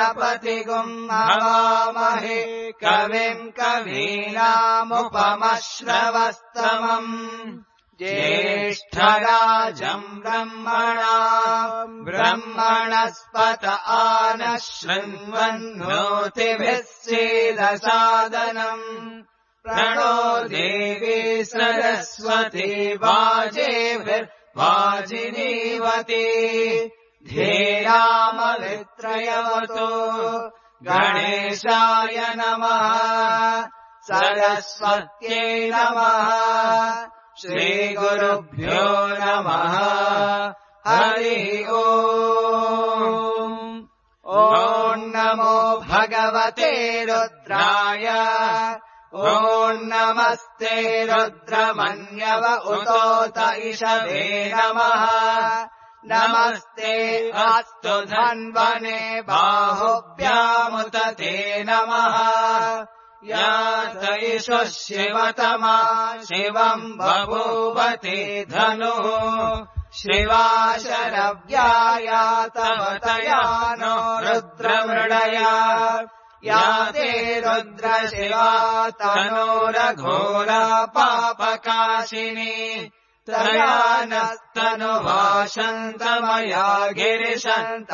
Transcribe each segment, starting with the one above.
गणपतिगुम् हवामहे कविम् कवीनामुपमश्रवस्तमम् ज्येष्ठराजम् ब्रह्मणस्पत आनः शृण्वन्नोतिभिः सीदसादनम् प्रणो देवी सरस्वती वाजिनीवती धीरामवित्रयवतु गणेशाय नमः सरस्वत्यै नमः श्रीगुरुभ्यो नमः हरिः ओम् ॐ नमो भगवते रुद्राय ॐ नमस्ते रुद्रमन्यव उतोत इषवे नमः नमस्ते अस्तु धन्वने बाहुभ्यामुत ते नमः यात इषु शिवतमा शिवम् बभूवते धनुः शिवा शरव्याया तव तया नो रुद्रमृडया या ते रुद्रशिवा तनोरघोरा पापकाशिनी तया नस्तनुवाशन्तमया गिरिशन्ताभिचाकशीः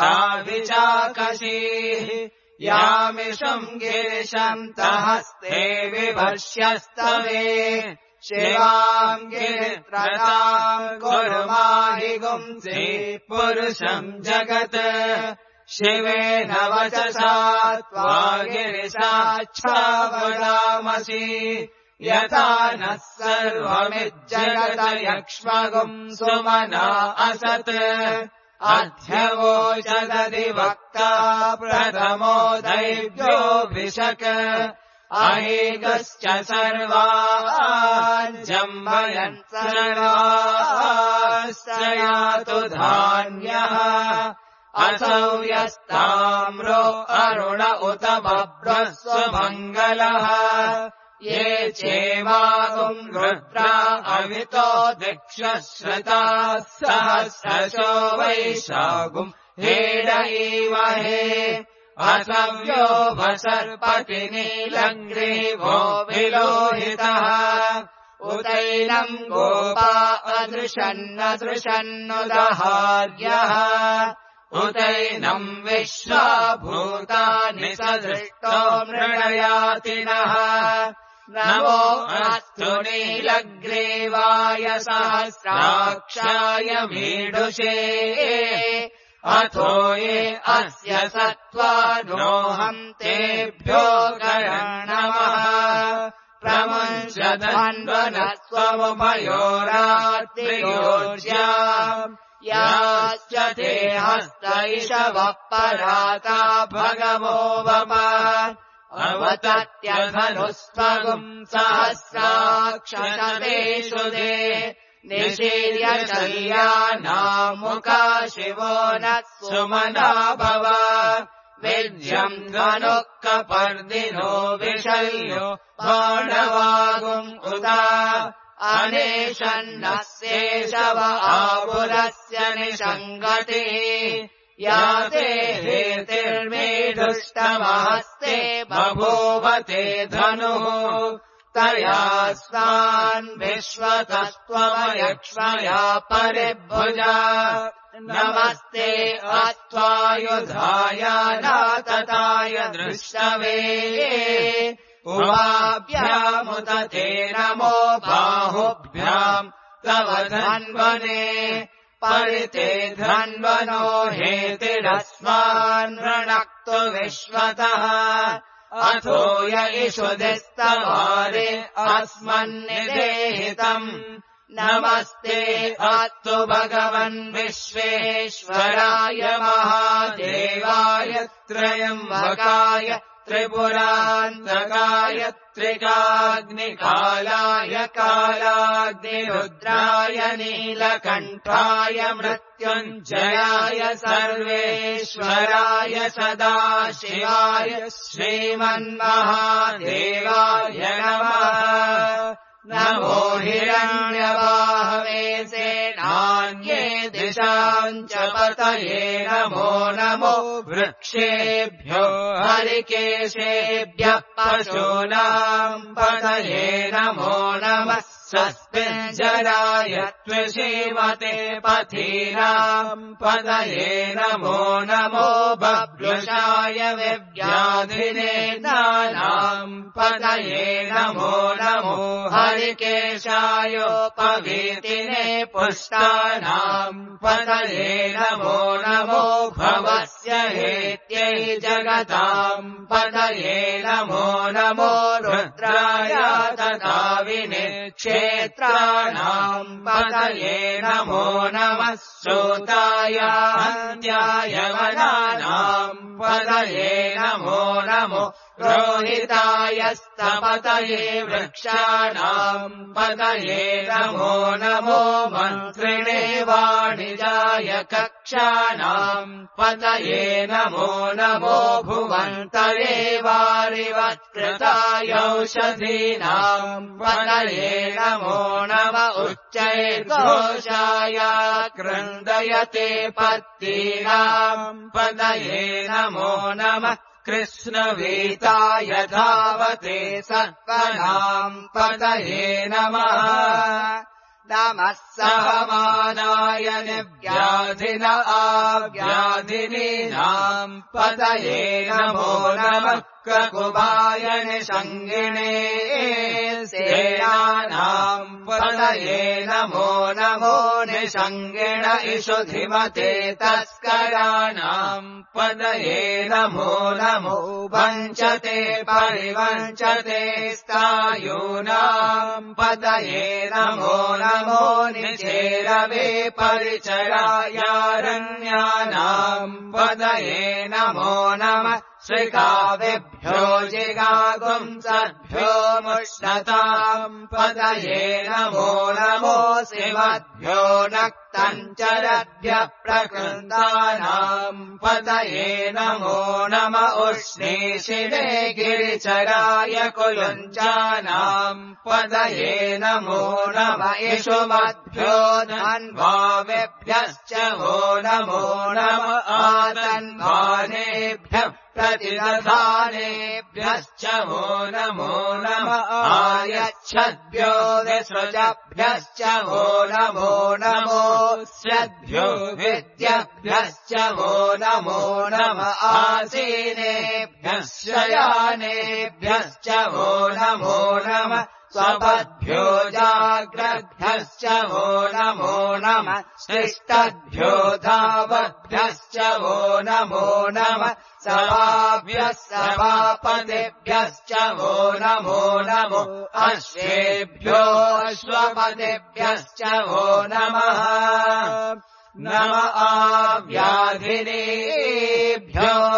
यामिषम् गिरिशन्तहस्ते विभष्यस्तवे शिवाम् गिरित्रताम् कुरु माहि गुंसि पुरुषम् जगत् शिवेन वचसा त्वा गिरिशाच्छावदामसि यथा नः सर्वमिज्जगत यक्ष्मगुम् सुमना असत् अध्यवोचदधिवक्ता प्रथमो दैव्योऽभिषक् अहेगश्च सर्वान् जम्बयन् सर्वाश्च यातु धान्यः असौ यस्ताम्रो अरुण उत बभ्रस्वमङ्गलः ये चेवागुम् रुद्रा अवितो दिक्षश्रुताः सहस्रशो वैशागुम् हेडईमहे असव्यो भसर्पति नीलग्रीवो विलोहितः उतैनम् गोपा अदृशन्नदृशन्नुदहार्यः उतैनम् विश्वा भूतानि सदृष्टो मृडयातिनः नमो अस्तु नीलग्रीवाय सहस्राक्षाय मीडुषे अथो ये अस्य सत्त्वानोऽहम् तेभ्यो नमः प्रमुञ्चधन्वनः स्वमुभयोरात्रियोज्या याश्च ते हस्त इषवः पराता भगवो वप अवतत्यधनुस्त्वगुम् सहस्राक्षतेषु ते निशीर्य शल्यानामुका शिवो नः सुमना भव विद्यम् धनुः कपर्दिनो विशल्यो बाणवागुम् उता अनेशन्नस्येषव आपुरस्य निषङ्गतिः या ते हेतिर्मेधुष्टमहस्ते बभूवते धनुः तया स्वान् विश्वतस्त्वमयक्ष्मया परिभुजा नमस्ते अस्त्वायुधाय नातताय दृष्टवे उभाभ्यामुत ते नमो बाहुभ्याम् तव धन्वने परिते धन्वनो हेतिरस्मान् रणक्तु विश्वतः अथो य इषुधिस्तवारे अस्मन्निदेहितम् नमस्ते अस्तु भगवन् विश्वेश्वराय महादेवाय त्रयम्बकाय त्रिपुरान्तकाय त्रिकाग्निकालाय कालाग्निरुद्राय नीलकण्ठाय मृत्युञ्जयाय सर्वेश्वराय सदाशिवाय श्रीमन्महादेवाय नमः नमो हिरण्यबाहवे सेनान्ये दिशाम् च पतये नमो नमो वृक्षेभ्यो हरिकेशेभ्यः पशूनाम् पतये नमो नमः स्वस्मिञ्जराय त्वशीमते पथीनाम् पतये नमो नमो बभ्रुषाय विव्याधिने नानाम् पतये नमो नमो हरिकेशायोपवीतिने पुष्टानाम् पतये नमो नमो भवस्य हेत्यै जगताम् पतये नमो नमो रुद्राय तथाविने क्षेत्राणाम् पतये नमो नमः सूताय हन्त्याय वनानाम् पतये नमो नमो रोहितायस्तपतये वृक्षाणाम् पतये नमो नमो मन्त्रिणे वाणिजाय कक्षाणाम् पतये नमो नमो भुवन्तरे वारिवत्कृताय औषधीनाम् पतये नमो नम उच्चैर्घोषाय क्रन्दयते पत्तीनाम् पतये नमो नमः कृष्णवीताय धावते सत्त्वनाम् पतये नमः नमः सहमानाय निव्याधिन आव्याधिनीनाम् पतये नमो नमः ककुबाय निषङ्गिणे सेनानाम् पतये नमो नमो निषङ्गिण इषुधिमते तस्कराणाम् पतये नमो नमो वञ्चते परिवञ्चते स्थायूनाम् पतये नमो नमो निचेरवे परिचरायारण्यानाम् पतये नमो नमः श्रीकाव्यभ्यो जिगागुंसभ्यो मुष्णताम् पतये नमो नमो शिवभ्यो नक्तञ्चरभ्यः प्रकृतानाम् पतये नमो नम उष्णीषिणे गिरिचराय कुलुञ्चानाम् पतये नमो नम इषुमद्भ्यो धन्वावेभ्यश्च वो नमो नम आतन्वानेभ्यः प्रतिदधानेभ्यश्च वो नमो नम आयच्छद्भ्यो विसृजभ्यश्च वो नमो नमो स्यद्भ्यो विद्यभ्यश्च वो नमो नम आसीनेभ्यः शयानेभ्यश्च वो नमो नम स्वपद्भ्यो जाग्रद्भ्यश्च वो नमो नमः शिष्टद्भ्यो धावद्भ्यश्च वो नमो नमः सभाभ्यः सभापतिभ्यश्च वो नमो नमो अश्वेभ्यो अश्वपतिभ्यश्च वो नमः नम आव्याधिनेभ्यो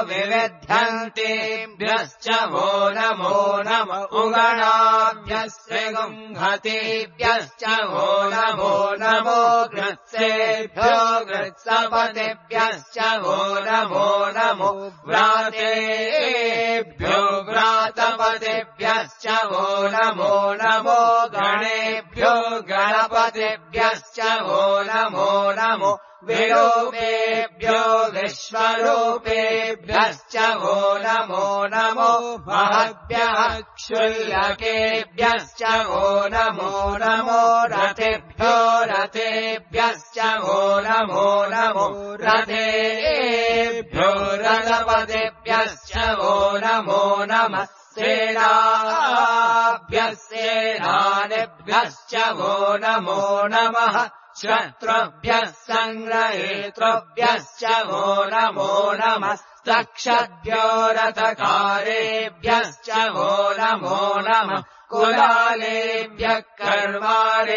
विविध्यन्तेभ्यश्च वो नमो नम उगणाभ्यस्य गुंहतेभ्यश्च वो नमो नमो गृत्सेभ्यो गृत्सपतिभ्यश्च वो नमो नमो व्रातेभ्यो व्रातपतिभ्यश्च वो नमो नमो गणेभ्यो गणपतिभ्यश्च वो नमो नमो विरूपेभ्यो विश्वरूपेभ्यश्च वो नमो नमो महद्भ्यः क्षुल्लकेभ्यश्च वो नमो नमो रथेभ्यो रथेभ्यश्च वो नमो नमो रथेभ्यो रथपतिभ्यश्च वो नमो नमः सेनाभ्यः सेनानिभ्यश्च वो नमो नमः शत्रुभ्यः सङ्ग्रहेतृभ्यश्च वो नमो नमः सक्षद्भ्यो रथकारेभ्यश्च वो नमो नमः कुलालेभ्यः कर्वारेभ्यश्च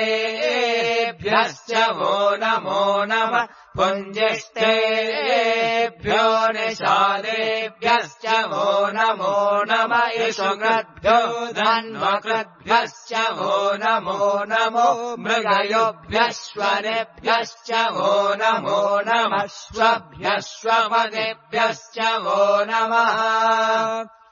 वो नमो नमः पुञ्जिष्टेभ्यो निषादेभ्यश्च वो नमो नमः इषुकृद्भ्यो धन्वकृद्भ्यश्च वो नमो नमो मृगयोभ्यश्वरेभ्यश्च वो नमो नमः श्वभ्यश्वपदेभ्यश्च वो नमः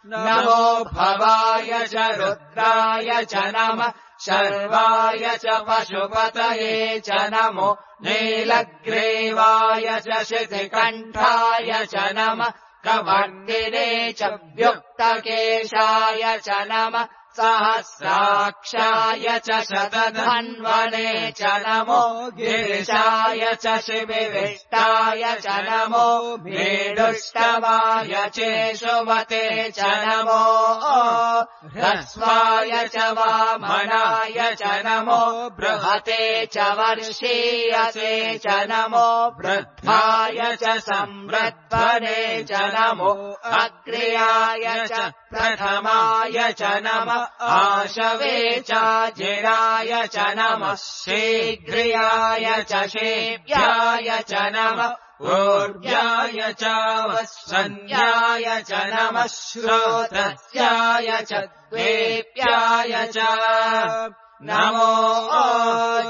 नमो भवाय च रुद्राय च नमः शर्वाय च पशुपतये च नमो नीलग्रीवाय च शितिकण्ठाय च नमः कवर्दिने च व्युक्तकेशाय च नमः सहस्राक्षाय च शतधन्वने च नमो गिरिशाय च शिविविष्टाय च नमो भीडुष्टवाय चेशुमते च नमो ह्रस्वाय च वामनाय च नमो बृहते च वर्षीयसे च नमो वृद्धाय च संवृद्धने च नमो अग्र्याय च प्रथमाय च नमः आशवे च जिराय च नमः शीघ्रियाय च शेव्याय च नमः ऊर्व्याय च वत्सन्याय च नमः श्रोत्रस्याय च द्वेप्याय च नमो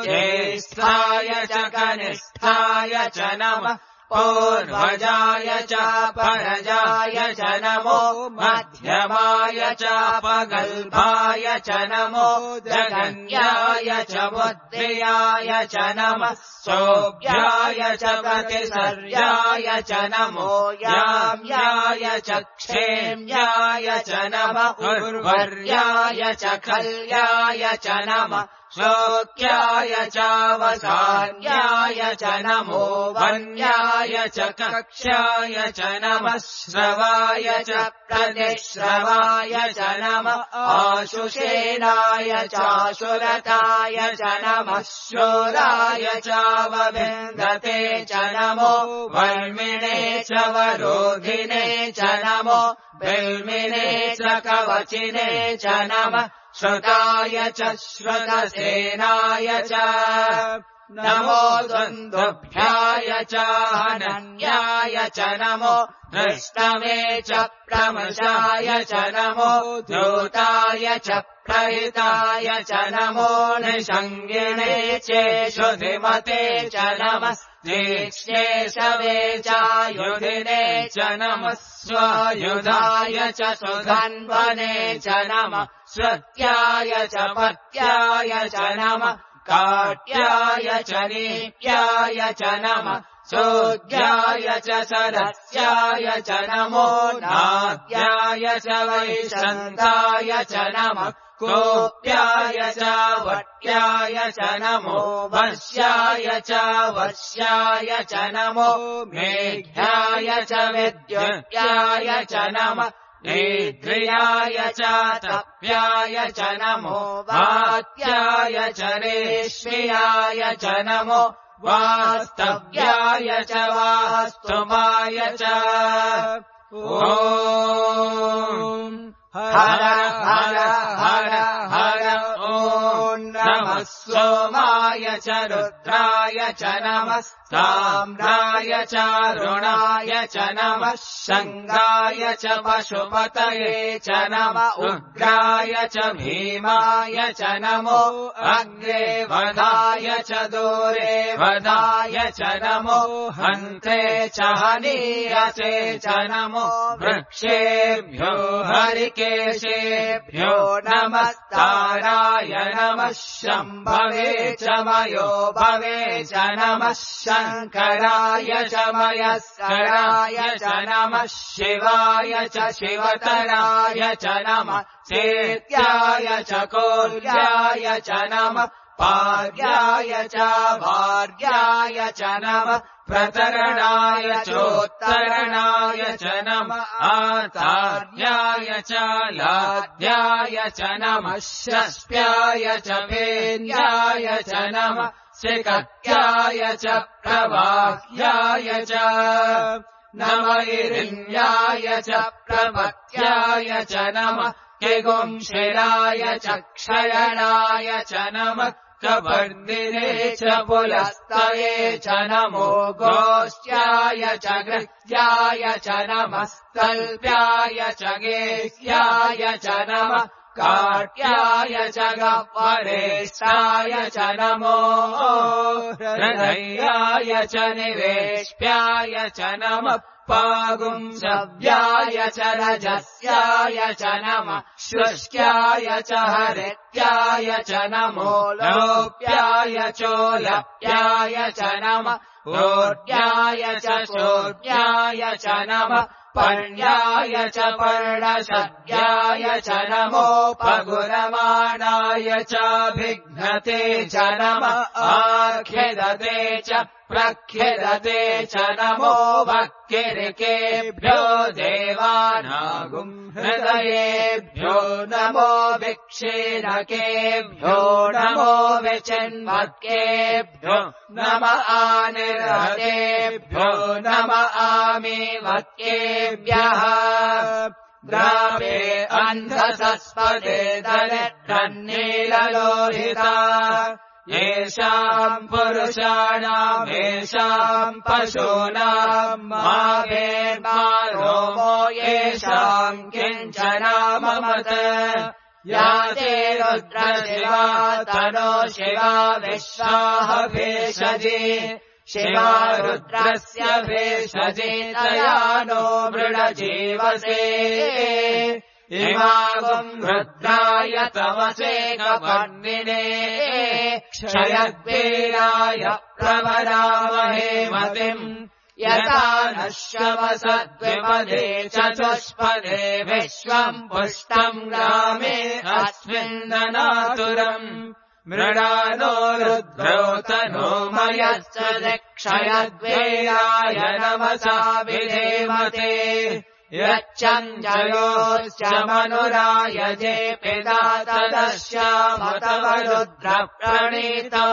ज्येष्ठाय च कनिष्ठाय च नमः पूर्वजाय च परजाय च नमो मध्यमाय च पगल्भाय च नमो जगन्याय च बुद्धियाय च नमः सोऽभ्याय च प्रतिसर्याय च नमो याम्याय च क्षेम्याय च नमः उर्वर्याय च खल्याय च नमः शोक्याय च वसान्याय च नमो वन्याय च कक्ष्याय च नमः श्रवाय च प्रतिश्रवाय च नमः आशुषेणाय चाशुरताय च नमः शूराय च वविन्दते च नमो वर्मिणे च वरोधिने च नमो बिल्मिने च कवचिने च नमः श्रुताय च श्रुतसेनाय च नमो दुन्दुभ्याय च हनन्याय च नमो दृष्टवे च प्रमशाय च नमो द्यूताय च प्रहिताय च नमो निषङ्गिणे चेषुधिमते च नमः तीक्ष्णेशवे चायुधिने च नमः स्वायुधाय च सुधन्वने च नमः श्रुत्याय च पत्याय च नमः काट्याय च नीप्याय च नमः सोऽध्याय च सरस्याय च नमो नाद्याय च वैशन्ताय च नमः कोप्याय च वट्याय च नमो वश्याय च वश्याय च नमो मेघ्याय च विद्युत्याय च नमः नीद्रियाय च तप्याय च नमो वात्याय च रेश्म्याय च नमो वास्तव्याय च वास्तुमाय च ॐ हर हर हर हर ॐ नमः सोमाय च रुद्राय च नमः साम्राय च रुणाय च नमः शङ्गाय च पशुपतये च नमः उग्राय च भीमाय च नमो अग्रे वधाय च दूरे वधाय च नमो हन्ते च हनीयसे च नमो वृक्षेभ्यो हरिकेशेभ्यो नमस्ताराय नमः शम्भवे च मयो भवे च नमः शङ्कराय च मयस्कराय च नमः शिवाय च शिवतराय च नमः चेत्याय च कोल्याय च नमः पार्याय च भार्याय च नमः प्रतरणाय चोत्तरणाय च नमः आतार्याय च लाद्याय च नमः षष्ट्याय च भेन्याय च नमः शिखत्याय च प्रवाह्याय च नमैरिण्याय च प्रपत्याय च नमः किगुंशिराय च क्षयणाय च नमः कवर्दिने च पुलस्तये च नमो गोष्ट्याय च गृह्याय च नमः स्तल्प्याय च गेह्याय च नमः काट्याय च गह्वरेष्ठाय च नमो हृदयाय च निवेश्याय च नमः पागुंसव्याय च रजस्याय च नमः शुष्क्याय च हरित्याय च नमो लोप्याय चोलप्याय च नमः ऊर्ध्याय च शोर्ध्याय च नमः पर्ण्याय च पर्णशद्याय च नमो पगुरमाणाय चाभिघ्नते च नमः आख्यदते च प्रख्यदते च नमो भक्तिरिकेभ्यो देवानागुं हृदयेभ्यो नमो विक्षीणकेभ्यो नमो विचिन्वत्केभ्यो नम आनिर्हतेभ्यो नम आमीवत्केभ्यः द्रावे अन्धसस्पदे दरिद्रन्नीललोहिता येषाम् पुरुषाणाम् येषाम् पशूनाम् मावेर्मारोमो येषाम् किञ्चनाममत या ते रुद्रशिवा तनो शिवा विश्वाः भेषजे शिवा रुद्रस्य भेषजे तया नो मृडजीवसे इमागुम् रुद्राय तमसे कपर्णिने क्षयद्वीराय प्रवरामहे मतिम् यथा नः शवसद्विपदे चतुष्पदे विश्वम् पुष्टम् ग्रामे अस्मिन्ननातुरम् मृडानो रुद्रो तनो मयश्च क्षयद्वीराय नमसा विधेमते यच्चञ्जयोश्च मनुरायजे पिता तदश्यामतवरुद्रप्रणीतौ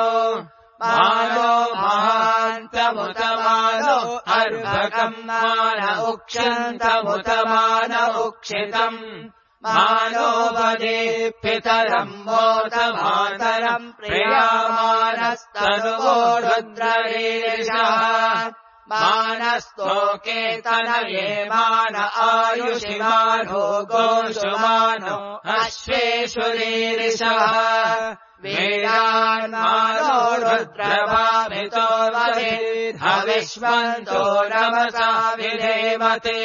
मानो महान्तमुतमानो अर्भकम् मान उक्षन्तमुतमान उक्षितम् मानो वदे पितरम् मोद मातरम् प्रियामानस्तनुवो रुद्ररीरिषः मानस्तोके तनये मान आयुषिमानो गोषुमानो अश्वेषु रीरिषः वीरान्मानो रुद्रभामितो वधेद्भविष्वन्तो नमसा विधेमते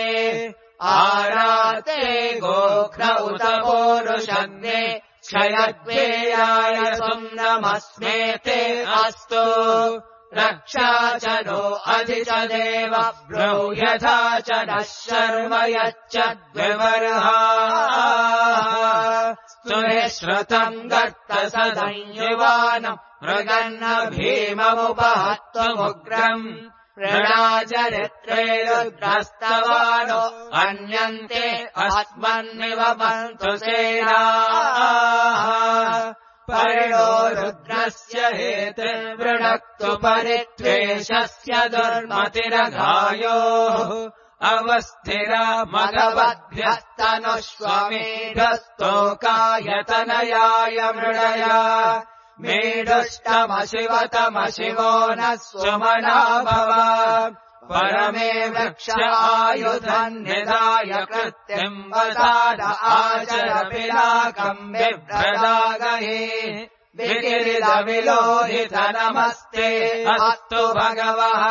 आराते गोघ्र उत पोरुषन्ये क्षयद्वीराय सुम्नमस्मेते अस्तु रक्षा च नो अधि च देव ब्रूह्यथा च नः शर्म यच्च द्विवर्हा स्तुहे श्रुतम् गर्तसदंयुवानम् मृगन्न भीममुपहत्वमुग्रम् प्रणाचरित्रे रुद्रस्तवानो अन्यन्ते अस्मन्निव पन्तु सेनाः परिणो रुद्रस्य हेतिर्वृणक्तु परित्वेषस्य दुर्मतिरघायोः अवस्थिरा मघवद्भ्यस्तनुष्वमेढस्तोकायतनयाय मृडया मेढुष्टमशिवतमशिवो नः सुमना भव परमे वृक्ष आयुधम् निधाय कृत्तिम् वसाद आचर पिनाकम् बिभ्रदागहे विकिरिदविलोहित नमस्ते अस्तु भगवः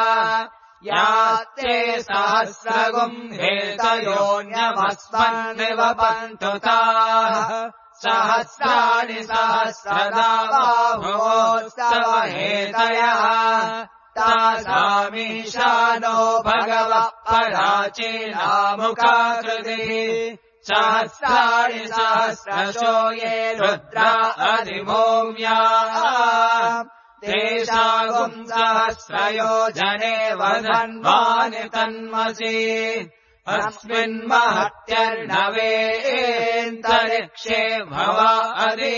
यात्ते सहस्रगुम् हेतयोऽन्यमस्मन्निवपन्तु ताः सहस्राणि सहस्रदा बाहुवोस्तव हेतयः तासामीशानो भगवः पराचीनामुखाकृतिः सहस्राणि सहस्रशो ये रुद्रा अधिभूम्याः तेषागुम् सहस्रयोजने वदन्वानि तन्मसि अस्मिन्महत्यर्णवेऽन्तरिक्षे भवा अधि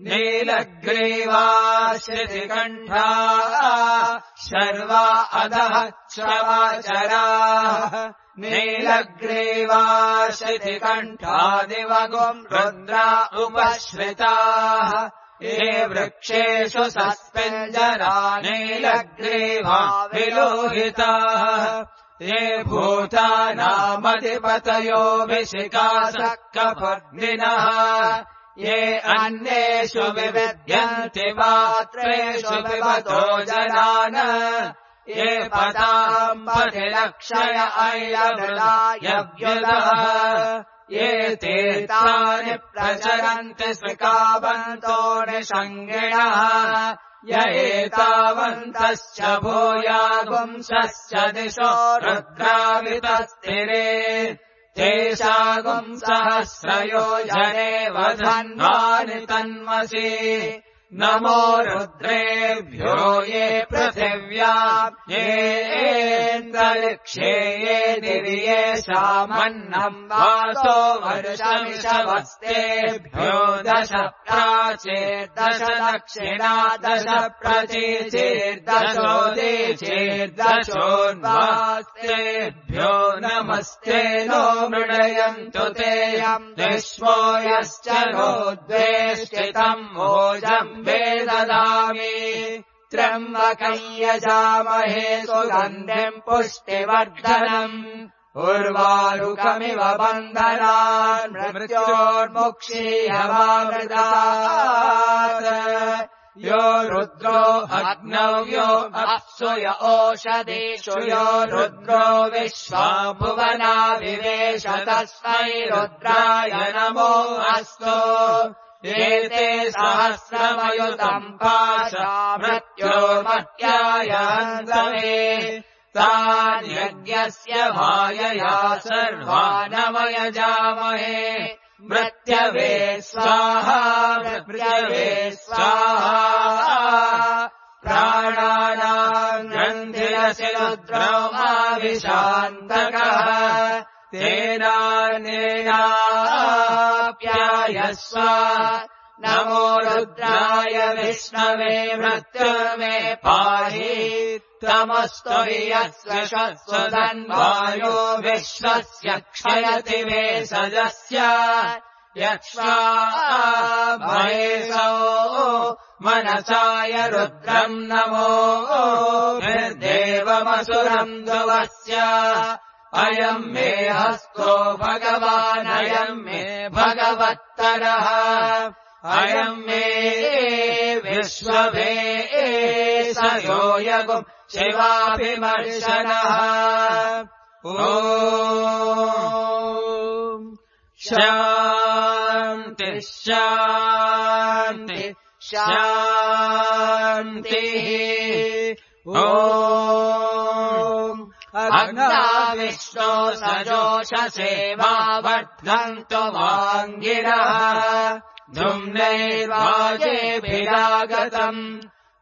नीलग्रीवा श्रुतिकण्ठा शर्वा अधः श्रवाचराः नीलग्रीवा श्रुतिकण्ठादिवगुम् रुद्रा उपश्रिताः ये वृक्षेषु सस्पिञ्जरा नीलग्रीवा विलोहिताः ये भूतानामधिपतयो विशिकासक्कपर्दिनः ये अन्येषु विविद्यन्ति पात्रेषु पिबतो जनान् ये पदाम् पथिलक्षय ऐलमृदायव्युदः ये तीर्थानि प्रचरन्ति स्विकावन्तो निषङ्गिणः य एतावन्तश्च भूयागुंसश्च दिशो रुद्रावितस्तिरे तेषागुंसहस्रयोजने वधन्वानि तन्मसि नमो रुद्रेभ्यो ये पृथिव्या येऽन्तरिक्षे ये दिव्ये सामन्नम् वासो वर्षमिषवस्तेभ्यो 10 प्राचीर्दश दक्षिणा 10 प्रतीचीर्दशोदीचीर्दशोर्वास्तेभ्यो नमस्ते नो मृडयन्तु तेऽयम् विश्वो यश्च नो द्वेष्टितम् भोजम् वेददामि त्र्यम्बकम् यजामहे सुगन्धिम् पुष्टिवर्धनम् उर्वारुकमिव बन्धनान् मृत्योर्मुक्षीयमामृतात् यो रुद्रो अग्नौ यो अप्सु य ओषधीषु यो रुद्रो विश्वा भुवना विवेश तस्मै रुद्राय नमो अस्तु एते सहस्रमयुतम् पाशा मृत्योर्मर्त्याय हन्तवे तान्यज्ञस्य मायया सर्वानवयजामहे मृत्यवे स्वाहा मृत्यवे स्वाहा प्राणानाम् ग्रन्थिरसि रुद्रमाविशान्तकः तेनानेनाप्यायस्व नमो रुद्राय विष्णवे मृत्युर्मे पाहि तमस्तु यस्य शस्वधन्वायो विश्वस्य क्षयति वेषजस्य यक्ष्वा महेशो मनसाय रुद्रम् नमो निर्देवमसुरम् ध्रुवस्य अयम् मे हस्तो भगवान् अयम् मे भगवत्तरः अयम् मे विश्ववे सयो यगुम् शिवाभिमर्शनः ॐ शान्ति शान्ति शान्तिः ॐ अग्ना विष्णो सजोषसे मा वर्धन्तु वाङ्गिरः धुम्नैर्वाजेभिरागतम्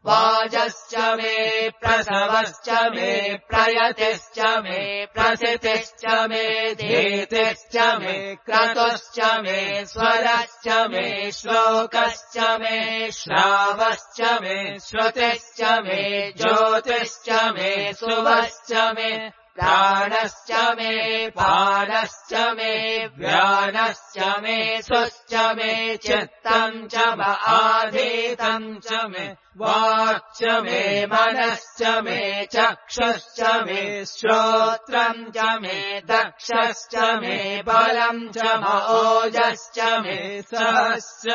वाजश्च मे प्रसवश्च मे प्रयतिश्च मे प्रसितिश्च मे धीतिश्च मे क्रतुश्च मे स्वरश्च मे श्लोकश्च मे श्रावश्च मे श्रुतिश्च मे ज्योतिश्च मे सुवश्च मे प्राणश्च मे पानश्च मे व्यानश्च मे सुश्च मे चित्तम् च आधीतम् च मे वाक्च मे मनश्च मे चक्षुश्च मे श्रोत्रम् च मे दक्षश्च मे बलम् च ओजश्च मे सहश्च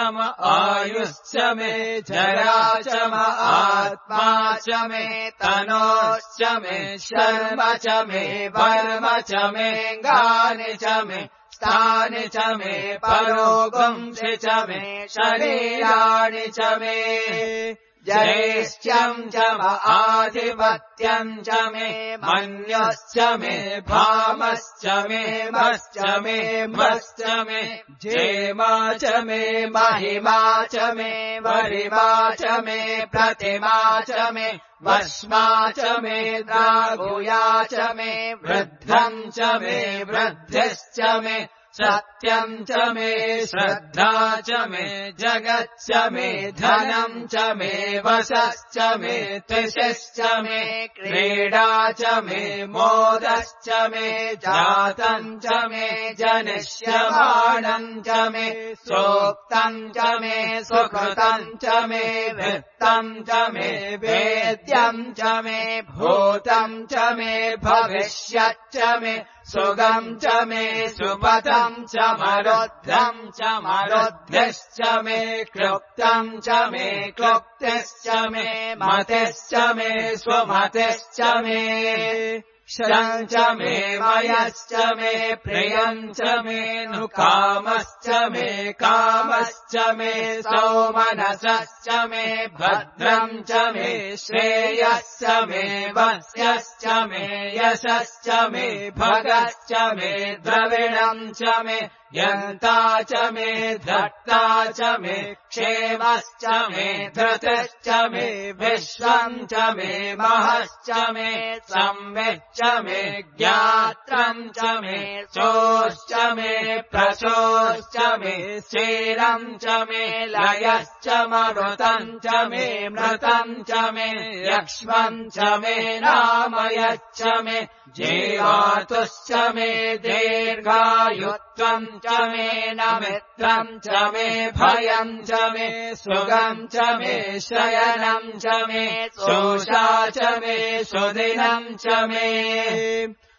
आयुश्च मे जरा च आत्मा च मे तनोश्च मे शर्म च मे वर्म च मे गानि च मे स्थानि च मे परोगुंसि च मे शरीराणि च मे जयेश्चम् च आधिपत्यम् च मे मन्यश्च मे भामश्च मे मश्च मे मश्च मे जेमा च मे महिमा च मे वरिमा च मे प्रतिमा च मे वश्मा च मे द्रागुया च मे वृद्धम् च मे वृद्धिश्च मे सत्यम् च मे श्रद्धा च मे जगच्च मे धनम् च मे वशश्च मे त्रिशिश्च मे क्रीडा च मे मोदश्च मे जातम् च मे जनिष्यमाणम् च मे सोक्तम् च मे सुकृतम् च मे वृत्तम् च मे वेद्यम् च मे भूतम् च मे भविष्यच्च मे सुगम् च मे सुपथम् च मरुद्धम् च मरुद्धिश्च मे क्लुप्तम् च मे क्लुप्तिश्च मे मतिश्च मे स्वमतिश्च मे शरम् च मे मयश्च मे प्रियम् च मे नुकामश्च मे कामश्च मे सौमनसश्च मे भद्रम् च मे श्रेयश्च मे वस्यश्च मे यशश्च मे भगश्च मे द्रविणम् च मे यन्ता च मे धर्ता च मे क्षेमश्च मे धृतिश्च मे विश्वम् च मे महश्च मे संविच्च मे ज्ञात्रम् च मे चोश्च मे प्रचोश्च मे स्थिरम् च मे लयश्च मरुतम् च मे मृतम् च मे यक्ष्मम् च मे नामयच्च मे जीवातुश्च मे दीर्घायुत्वम् च मे नमित्रम् च मे भयम् च मे सुगम् च मे शयनम् च मे सोषा च मे सुदिनम् च मे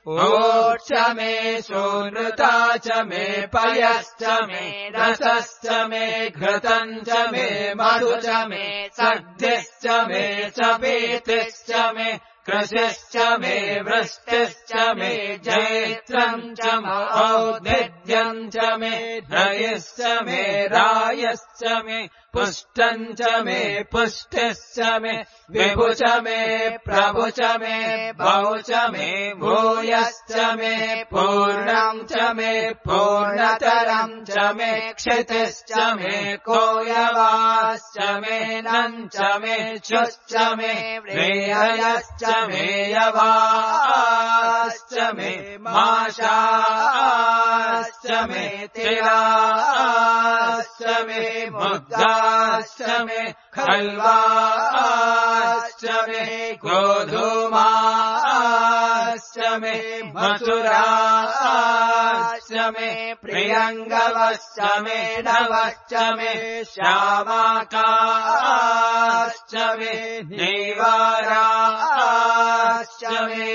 ऊर्च मे सुनृता च मे पयश्च मे रसश्च मे घृतम् च मे मधु च मे सद्धिश्च मे च पीतिश्च मे कृशिश्च मे वृष्टिश्च मे जैत्रम् च औद्भिद्यम् च मे रयिश्च मे रायश्च मे पुष्टम् च मे पुष्टिश्च मे विभु च मे प्रभु च मे बहु च मे भूयश्च मे पूर्णम् च मे पूर्णतरम् च मे क्षितिश्च मे कोयवाश्च मे नम् च मे शुश्च मे व्रेहयश्च मे यवाश्च मे माशाश्च मे तिलाश्च मे मुद्गाश्च मे खल्वाश्च मे गोधूमाश्च मे मसुराश्च मे प्रियङ्गवश्च मे नवश्च मे श्यामाकाश्च मे नीवाराश्च मे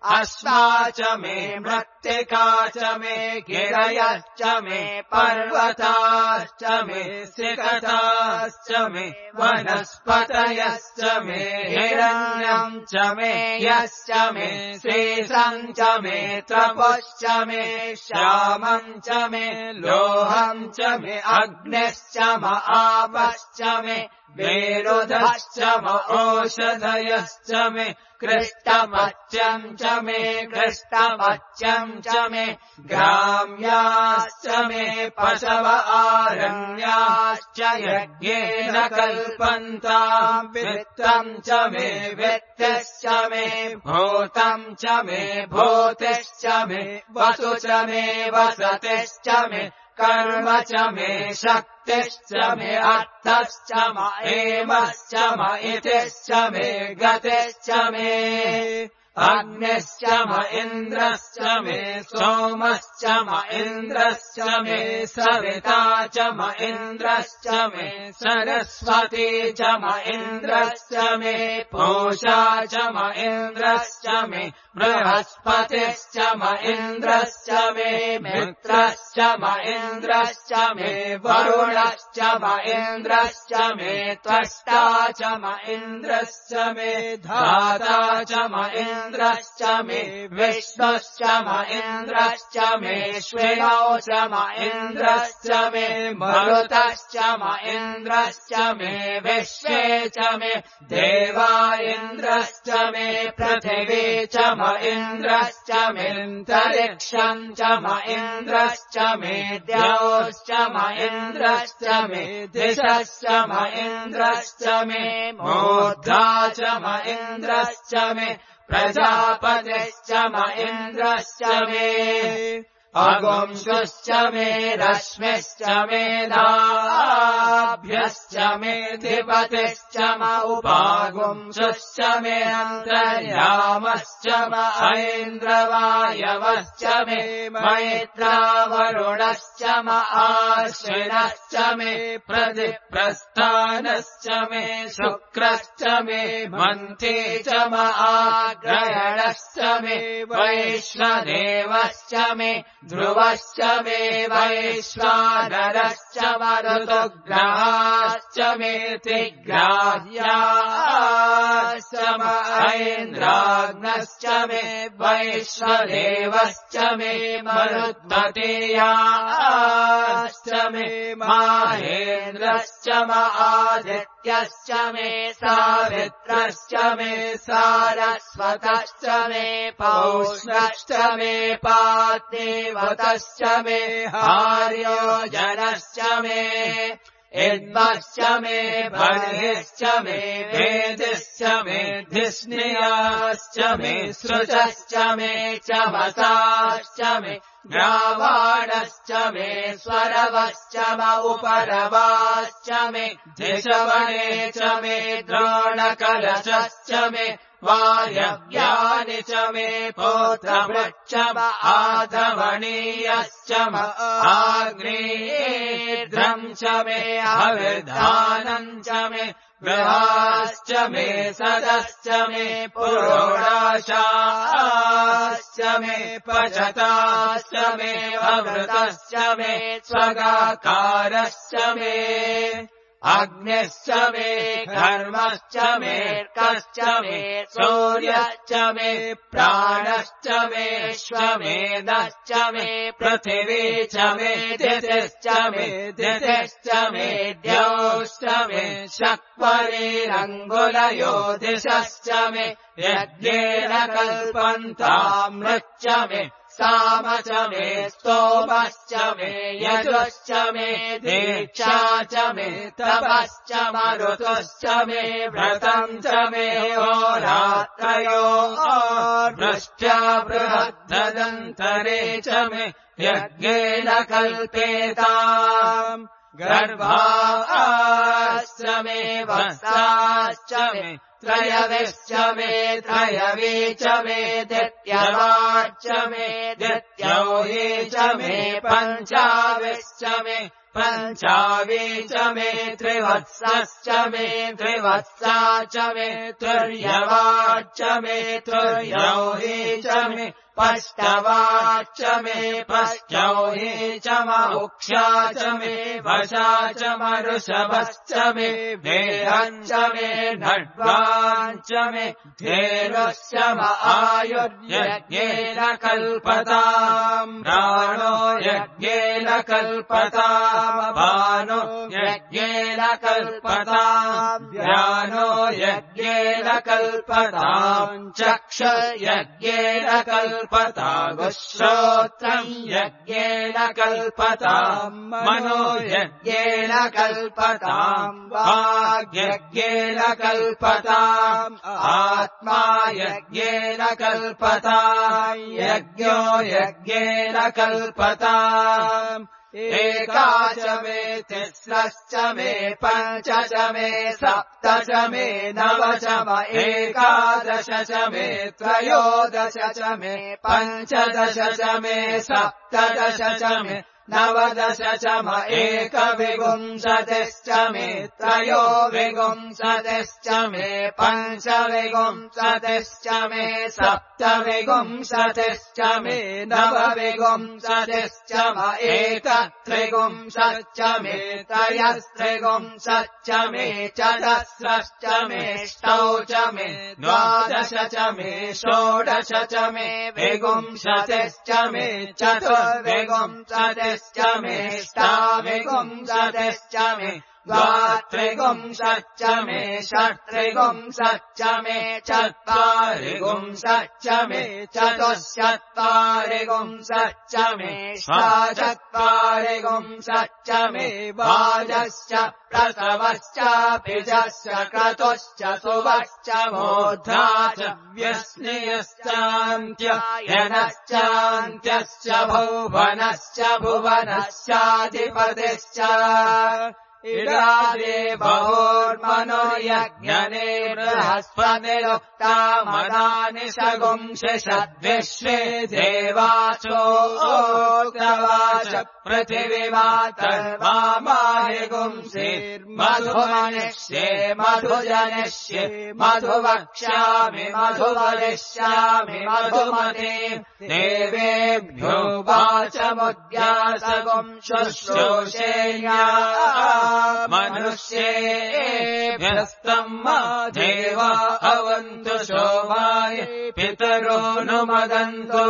अस्मा च मे मृत्तिका च मे गिरयश्च मे पर्वताश्च मे सिकताश्च मे वनस्पतयश्च मे हिरण्यम् च मे यश्च मे शेषम् च मे तपश्च मे श्यामम् च मे लोहम् च मे अग्निश्च म आपश्च मे वेरुधश्च म औषधयश्च मे कृष्टमच्यम् च मे कृष्टमच्यम् च मे ग्राम्याश्च मे पशव आरण्याश्च यज्ञेन कल्पन्ताम् वित्तम् च मे वित्तिश्च मे भूतम् च मे भूतिश्च मे वसु च मे वसतिश्च मे कर्म च मे शक्तिश्च मे अर्थश्च म एमश्च म इतिश्च मे गतिश्च मे अग्निश्च म इन्द्रश्च मे सोमश्च म इन्द्रश्च मे सविता च म इन्द्रश्च मे सरस्वती च म इन्द्रश्च मे पूषा च म इन्द्रश्च मे बृहस्पतिश्च म इन्द्रश्च मे मित्रश्च म इन्द्रश्च मे वरुणश्च म इन्द्रश्च मे त्वष्टा च म इन्द्रश्च मे धाता च म इन्द्रश्च मे विष्णुश्च म इन्द्रश्च मे श्विनौ च म इन्द्रश्च मे मरुतश्च म इन्द्रश्च मे विश्वे च मे देवा इन्द्रश्च मे पृथिवी च म इन्द्रश्च मेऽन्तरिक्षम् च म इन्द्रश्च मे द्यौश्च म इन्द्रश्च मे दिशश्च म इन्द्रश्च मे मूर्धा च म इन्द्रश्च मे प्रजापतिश्च म इन्द्रश्च मे अगुंशुश्च मे रश्मिश्च मे दाभ्यश्च मे धिपतिश्च म उपागुंशुश्च मे अन्तर्यामश्च म ऐन्द्रवायवश्च मे मैत्रावरुणश्च म आश्विनश्च मे प्रतिप्रस्थानश्च मे शुक्रश्च मे मन्थे च म आग्रहणश्च मे वैश्वदेवश्च मे ध्रुवश्च मे वैश्वानरश्च मरुतुग्रहाश्च मे त्रिग्राह्याश्च म ऐन्द्राग्नश्च मे वैश्वदेवश्च मे मरुद्मतेयाश्च मे माहेन्द्रश्च म आदित्यश्च मे सावित्रश्च मे सारस्वतश्च मे पौष्णश्च मे पादेवतश्च मे हार्योजनश्च मे इद्मश्च मे बर्हिश्च मे वेदिश्च मे धिष्णियाश्च मे सृजश्च मे चमसाश्च मे ग्रावाणश्च मे स्वरवश्च म उपरवाश्च मे धिषवणे च मे द्रोणकलशश्च मे वायव्यानि च मे पौत्रवृक्ष म आधवणीयश्च म आग्नेयेर्ध्रम् च मे हविर्धानम् च मे गृहाश्च मे सदश्च मे पुरोडाशाश्च मे पचताश्च मे अवृतश्च मे स्वगाकारश्च मे अग्निश्च मे घर्मश्च मे कर्कश्च मे सूर्यश्च मे प्राणश्च मे श्वमेधश्च मे पृथिवी च मे दितिश्च मे दितिश्च मे द्यौश्च मे शक्वरीरङ्गुलयोदिशश्च मे यज्ञेन कल्पन्तामृच्च मे साम च मे स्तोमश्च मे यजुश्च मे दीक्षा च मे तपश्च मरुतुश्च मे व्रतम् च मे होरात्रयो वृष्ट्या बृहद्दन्तरे च मे यज्ञेन कल्पेताम् गर्भाश्च मे वत्साश्च मे त्रयविश्च मे त्रयवी च मे दित्यवाच्च मे दित्यौही च मे पञ्चाविश्च मे पञ्चावी च मे त्रिवत्सश्च मे त्रिवत्सा च मे तुर्यवाच्च मे तुर्यौही च मे पष्टवाच्च मे पष्टौही च म उक्षा च मे वशा च मरुषभश्च मे देहञ्च मे नड्वाञ्च मे धेनुश्च म आयुर्यज्ञेन कल्पताम् प्राणो यज्ञेन कल्पताम् भानो यज्ञेन कल्पताम् व्यानो यज्ञेन कल्पताम् चक्ष यज्ञेन कल्पतागुश्रोत्रम् यज्ञेन कल्पताम् मनो यज्ञेन कल्पताम् वाग्यज्ञेन कल्पताम् आत्मा यज्ञेन कल्पताम् यज्ञो यज्ञेन कल्पताम् एका च मे तिस्रश्च मे पञ्च च मे सप्त च मे नव च म एकादश च मे त्रयोदश च मे पञ्चदश च मे सप्तदश च मे नवदश च म एकविंशतिश्च मे त्रयोविंशतिश्च मे पञ्चविंशतिश्च मे सप्तविंशतिश्च मे नवविंशतिश्च म एकत्रिंशच्च मे त्रयस्त्रिंशच्च मे चतस्रश्च मे ष्टौ च मे द्वादश च मे षोडश च मे विंशतिश्च मे चतुर्विंशतिश्च मे ष्टाविंशतिश्च मे द्वात्रिपुंसश्च मे षट्त्रिपुंसश्च मे चत्वारिपुंसश्च मे चतुश्चत्वारिपुंसश्च मे षट्चत्वारिपुंसश्च मे वाजश्च प्रसवश्चाभिजश्च क्रतुश्च सुवश्च मूर्धा च व्यस्नियश्चान्त्ययनश्चान्त्यश्च भुवनश्च भुवनश्चाधिपतिश्च इडादे बहुर्मनुर्यज्ञने बृहस्पतिरुक्ता मदानि शगुंषद्विश्वे देवाचोक्तवाच पृथिवीमातर्वामाहिगुंसेर्मधुमनिष्ये मधुजनिष्ये मधुवक्ष्यामि मधुवदिष्यामि मधुमते देवेभ्यो वाचमुद्यासगुं शुश्रूषेया मनुष्येभ्यस्तम् देव अवन्तु शोभाय पितरो नुमदन्तु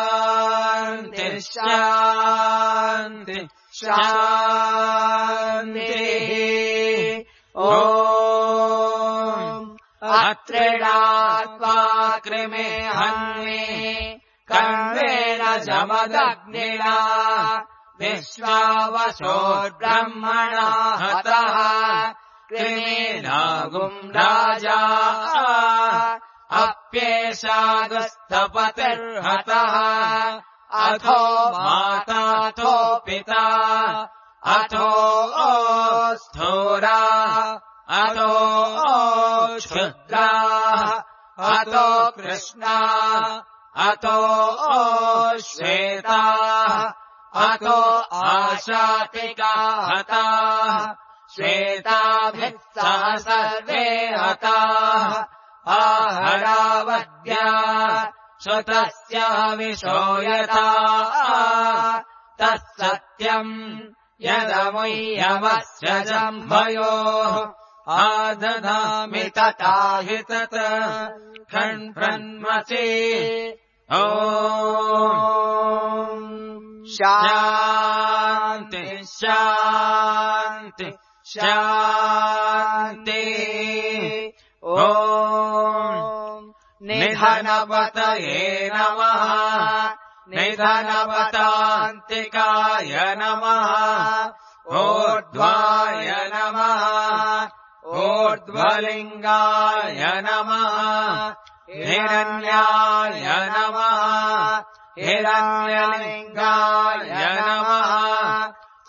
शान्ति शान्ति शान्तिः अत्रिणात्वा कृमे हन्मे कर्मेण जमदग्निना विश्वावसोर्ब्रह्मणा हतः कृमेनागुम् राजा अप्येषागस्तपतिर्हतः अथो माताथो पिता अथो स्थूरा अथो क्षुद्राः अथो कृष्णा अथो श्वेताः अथो आशातिका हताः श्वेताभिः सह सर्वे हताः आहरावद्या श्रुतस्य हविषो यथा तत्सत्यम् यदमुह्यमस्य जम्भयोः आदधामि तथा हि तत् खण्प्रन्मसि ॐ शान्ति शान्ति शान्ति ॐ निधनपतये नमः निधनपतान्तिकाय नमः ऊर्ध्वाय नमः ऊर्ध्वलिङ्गाय नमः हिरण्याय नमः हिरण्यलिङ्गाय नमः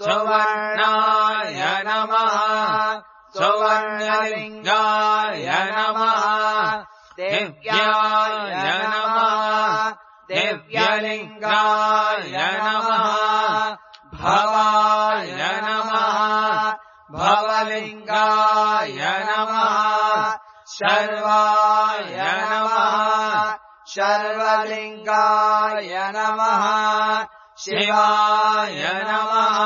सुवर्णाय नमः सुवर्णलिङ्गाय नमः दिव्याय नमः दिव्यलिङ्गाय नमः भवाय नमः भवलिङ्गाय नमः शर्वाय नमः शर्वलिङ्गाय नमः शिवाय नमः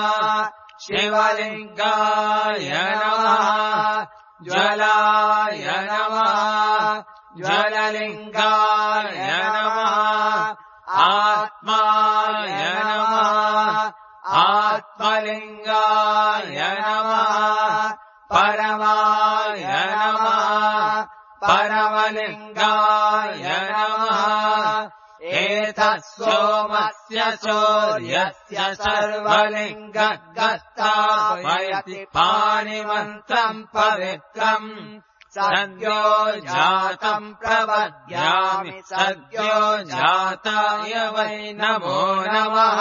शिवलिङ्गाय नमः ज्वलाय नमः ज्वललिङ्गाय नमः आत्माय नमः आत्मलिङ्गाय नमः परमाय नमः परमलिङ्गाय नमः एतः सोमस्य सूर्यस्य सर्वलिङ्गगस्तापयति पाणिमन्त्रम् पवित्रम् सद्यो जातम् प्रपद्यामि सद्यो जाताय वै नमो नमः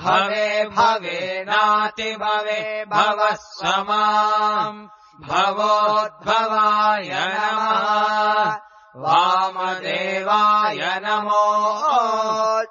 भवे भवेनाति भवे भवः समाम् भवोद्भवाय नमः वामदेवाय नमो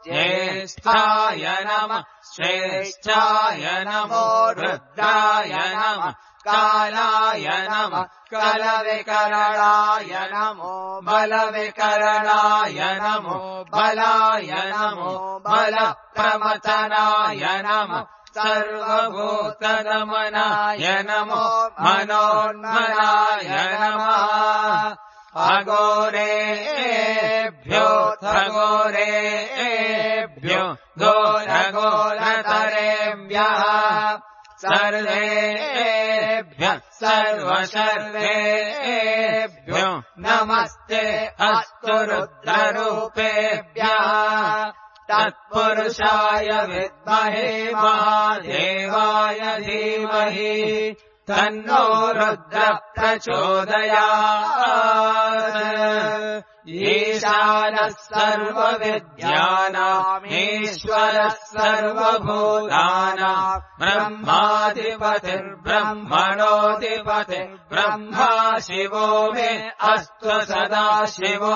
ज्येष्ठाय नमः श्रेष्ठाय नमो रुद्राय नमः कालाय नमः कलविकरणाय नमो बलविकरणाय नमो बलाय नमो बलप्रमथनाय नमः सर्वभूतनमनाय नमो मनोन्मनाय नमः अघोरेभ्यो थगो घोरेभ्यो घोरघोरतरेभ्यः सर्वेभ्यः सर्वशर्वेभ्यो नमस्ते अस्तु रुद्ररूपेभ्यः तत्पुरुषाय विद्महे महादेवाय धीमहि तन्नो रुद्रः प्रचोदयात् ईशानः सर्वविद्यानामीश्वरः सर्वभूतानां ब्रह्माधिपतिर्ब्रह्मणोऽधिपतिर्ब्रह्मा शिवो मे अस्तु सदा शिवो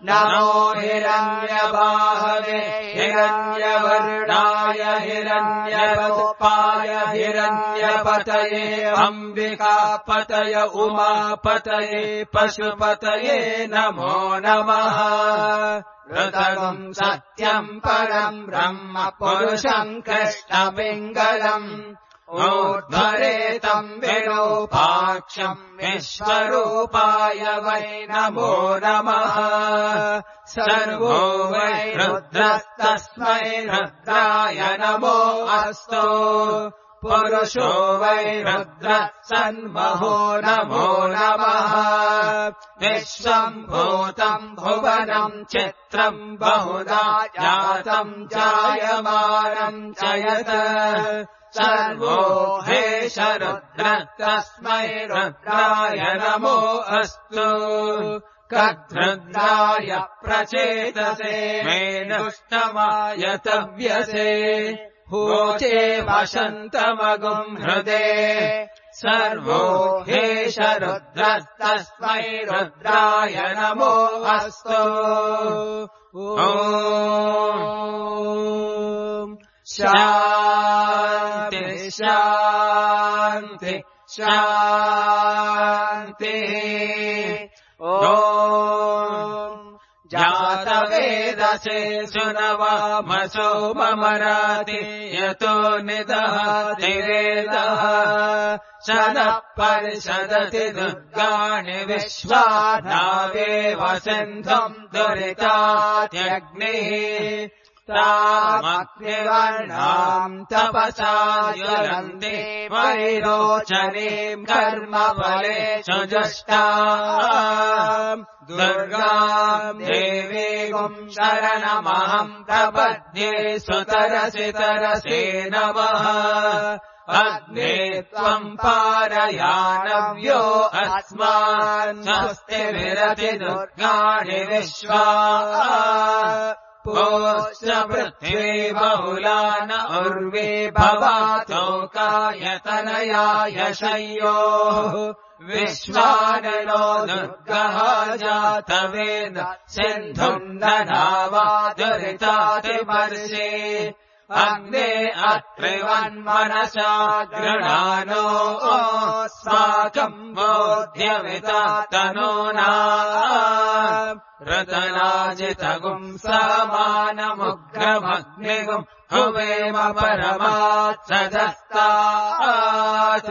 नमो हिरण्यबाहवे हिरण्यवर्णाय हिरण्यरूपाय हिरण्यपतये अम्बिकापतये उमापतये पशुपतये नमो नमः ऋतगम् सत्यम् परम् ब्रह्म पुरुषम् कृष्णपिङ्गलम् ऊर्ध्वरेतम् विरूपाक्षम् विश्वरूपाय वै नमो नमः सर्वो वै रुद्रस्तस्मै रुद्राय नमो अस्तु पुरुषो वै रुद्रः सन्महो नमो नमः विश्वम् भूतम् भुवनम् चित्रम् बहुधा जातम् जायमानम् च यत् सर्वो हेश रुद्रः तस्मै रुद्राय नमो अस्तु कद्रुद्राय प्रचेतसे मेनुष्टमाय तव्यसे होचे वसन्तमगुम् हृदे सर्वो हेश रुद्रः तस्मै रुद्राय नमो अस्तु शान्ति शान्ति शान्ति ॐ जातवेदसे सुनवामसो ममराति यतो निदहतिरेदः शनः परिषदति दुर्गाणि विश्वानावेव सिन्धुम् दुरितात्यग्निः तामग्निवर्णाम् तपसा ज्वलन्ति वैरोचनीम् कर्मफले सुजुष्टाम् दुर्गाम् देवीम् शरणमहम् प्रपद्ये सुतरसि तरसे नमः अग्ने त्वम् पारयानव्यो अस्मान् स्वस्ति विरति दुर्गाणि विश्वा पोश्च पृथ्वी बहुला न उर्वी भवातोकायतनयाय शय्योः विश्वाननो दुर्गः जातवेद सिन्धुम् दधावा दुरितातिवर्षे अग्ने अत्रिवन्मनसा गृणानो अस्माकम् बोध्यमिता तनूना रतनाजितगुम् समानमुग्रमग्निगुम् हुवेम परमात् सदस्तात्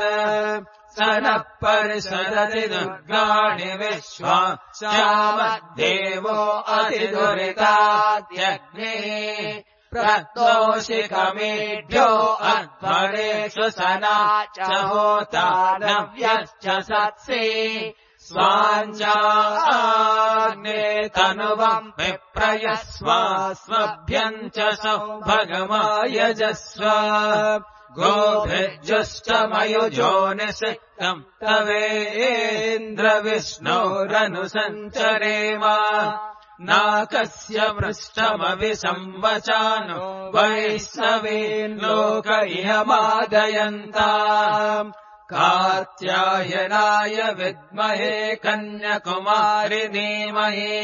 स नः परिषदति दुर्गाणि विश्वा श्यामद्देवो अतिदुरितात्यग्निः प्रतोषिकमेढ्यो अध्वरेषु सना च होता नव्यश्च सत्सि स्वाञ्चाग्ने तनुवम् विप्रयस्व स्वभ्यम् च सौभगमायजस्व गोभिर्जुष्टमयुजोनिषिक्तम् तवेन्द्रविष्णोरनुसञ्चरेम नाकस्य पृष्ठमभिसंवचानो वैष्णवीन्लोक इहमादयन्ताम् कात्यायनाय विद्महे कन्याकुमारि धीमहि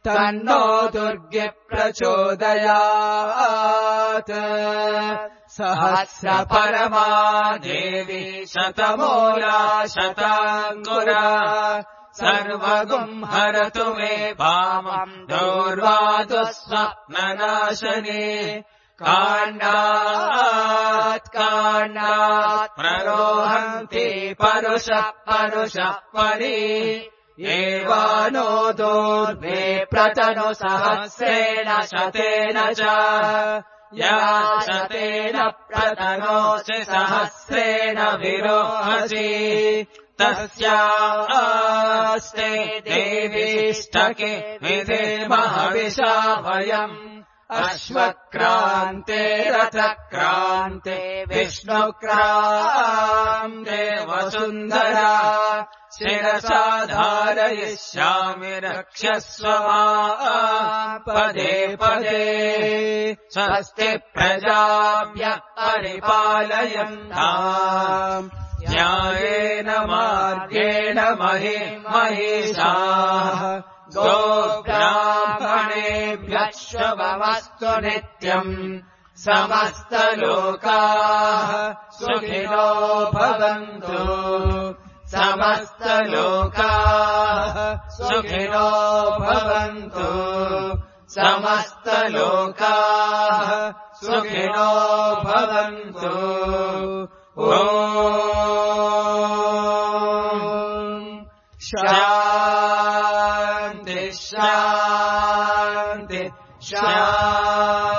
तन्नो दुर्गे प्रचोदयात् सहस्रपरमा देवी शतमूला शताङ्कुरा सर्वगुम् हरतु मे वामम् दूर्वादुःस्वप्ननाशने काण्डात् प्ररोहन्ति परुषः परि एवा तनोदूर्वे प्रतनु सहस्रेण शतेन च या शतेन प्रतनोषि सहस्रेण विरोहसि तस्यास्ते देवीष्टके विधेमहविषा वयम् अश्वक्रान्ते रथक्रान्ते विष्णुक्रान्ते वसुन्धरा शिरसा धारयिष्यामि रक्षस्व माम् पदे पदे स्वस्ति प्रजाभ्यः परिपालयन्ताम् न्यायेन मार्गेण महिषाः गोब्राह्मणेभ्यः शुभमस्तु नित्यम् समस्तलोकाः सुखिनो भवन्तु समस्तलोकाः सुखिनो भवन्तु समस्तलोकाः सुखिनो भवन्तु ॐ शान्ति शान्ति शान्तिः